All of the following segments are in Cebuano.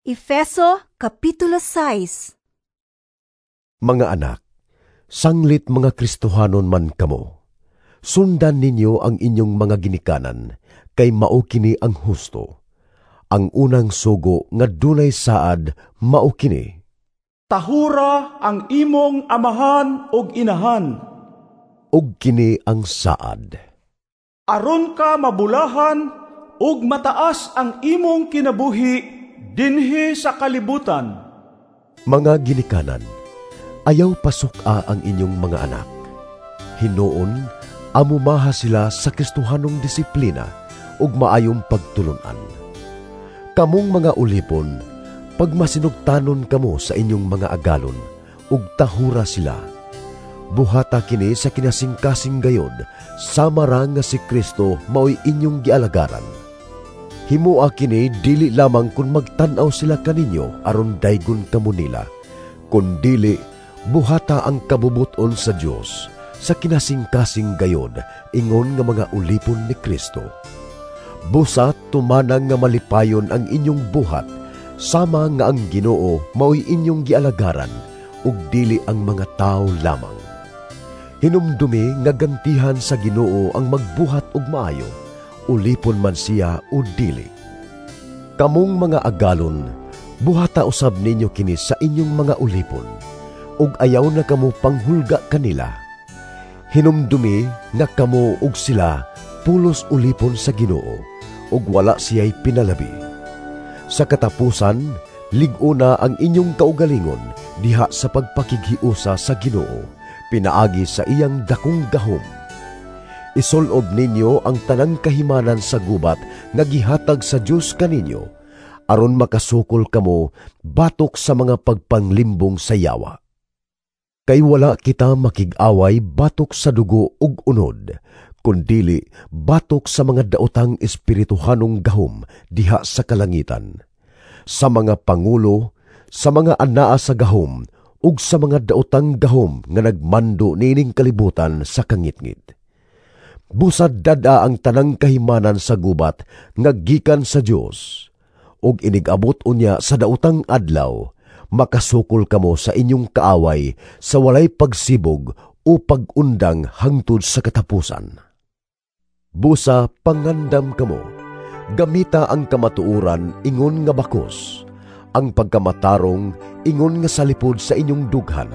Efeso Kapitulo 6. Mga anak, sanglit mga Kristohanon man kamo, sundan ninyo ang inyong mga ginikanan, kay mao kini ang husto. Ang unang sugo nga dunay saad mao kini: Tahura ang imong amahan ug inahan. Ug kini ang saad: Aron ka mabulahan ug mataas ang imong kinabuhi dinhi sa kalibutan. Mga ginikanan, ayaw pasuk-a ang inyong mga anak. Hinuon, amumaha sila sa Kristohanong disiplina ug maayong pagtulun-an. Kamong mga ulipon, pagmasinugtanon kamo sa inyong mga agalon ug tahura sila. Buhata kini sa kinasingkasing gayod, sama ra nga si Kristo maoy inyong gialagaran. Himoa kini dili lamang kun magtan-aw sila kaninyo aron daygon kamo nila, kundili buhata ang kabubuton sa Dios sa kinasingkasing gayod ingon nga mga ulipon ni Kristo. Busa tumanang nga malipayon ang inyong buhat, sama nga ang Ginoo maoy inyong gialagaran ug dili ang mga tawo lamang. Hinumdumi nga gantihan sa Ginoo ang magbuhat og maayo, ulipon man siya o dili. Kamong mga agalon, buhata usab ninyo kini sa inyong mga ulipon, ug ayaw na kamo panghulga kanila. Hinumdumi nga kamo ug sila pulos ulipon sa Ginoo, ug wala siya'y pinalabi. Sa katapusan, lig-una ang inyong kaugalingon diha sa pagpakighiusa sa Ginoo, pinaagi sa iyang dakong gahom. Isulob ninyo ang tanang kahimanan sa gubat nga gihatag sa Dios kaninyo, aron makasukol kamo batok sa mga pagpanglimbong sa yawa. Kay wala kita makig-away batok sa dugo ug unod, kundili batok sa mga daotang espirituhanong gahom diha sa kalangitan, sa mga pangulo, sa mga anaa sa gahom, ug sa mga daotang gahom nga nagmando niining kalibutan sa kangitngit. Busad dad-a ang tanang kahimanan sa gubat nga gikan sa Dios, ug inig-abot unya sa daotang adlaw, makasukol kamo sa inyong kaaway sa walay pagsibog o pag-undang hangtod sa katapusan. Busa pangandam kamo, gamita ang kamatuoran ingon nga bakos, ang pagkamatarong ingon nga salipod sa inyong dughan,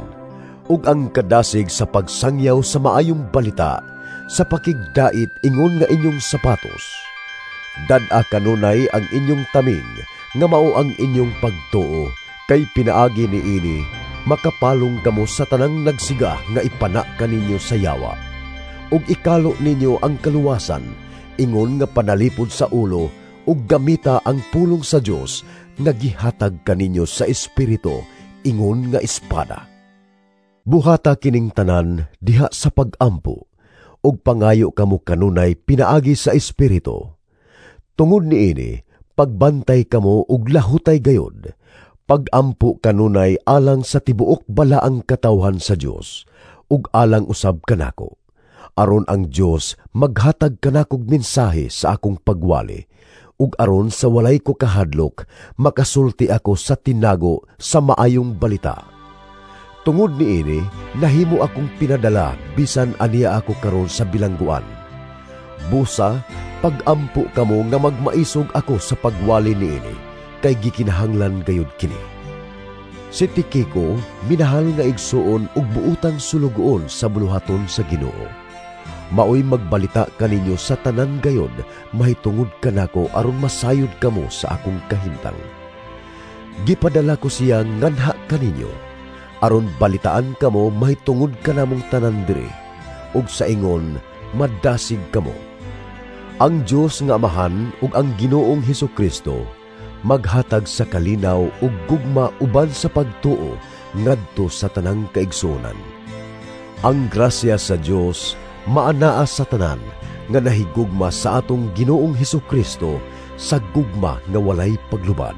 ug ang kadasig sa pagsangyaw sa maayong balita sa pakigdait ingon nga inyong sapatos. Dad-a kanunay ang inyong taming nga mao ang inyong pagtuo, kay pinaagi niini makapalong kamo sa tanang nagsiga nga ipana kaninyo sa yawa. Ug ikalo ninyo ang kaluwasan ingon nga panalipod sa ulo, ug gamita ang pulong sa Dios nga gihatag kaninyo sa Espiritu ingon nga espada. Buhata kining tanan diha sa pag-ampo, ug pangayo kamo kanunay pinaagi sa Espiritu. Tungod niini, pagbantay kamo ug lahutay gayod. Pagampo kanunay alang sa tibuok balaang katawhan sa Dios, ug alang usab kanako, aron ang Dios maghatag kanakog mensahe sa akong pagwali, ug aron sa walay ko kahadlok makasulti ako sa tinago sa maayong balita. Tungod niini, nahimo akong pinadala bisan aniya ako karon sa bilangguan. Busa, pagampo kamo nga magmaisog ako sa pagwali niini, kay gikinahanglan gayud kini. Si Tikiko, minahal nga igsuon ug buotang sulugoon sa buluhaton sa Ginoo. Maoy magbalita kaninyo sa tanan gayod mahitungod kanako aron masayod kamo sa akong kahimtang. Gipadala ko siya nganha kaninyo, aron balitaan kamo mahitungod kanamong tanan diri, ug sa ingon madasig kamo. Ang Dios nga Amahan ug ang Ginoong Hesukristo maghatag sa kalinaw ug gugma uban sa pagtuo ngadto sa tanang kaigsuonan. Ang grasya sa Dios maanaa sa tanan nga nahigugma sa atong Ginoong Hesukristo sa gugma nga walay paglubad.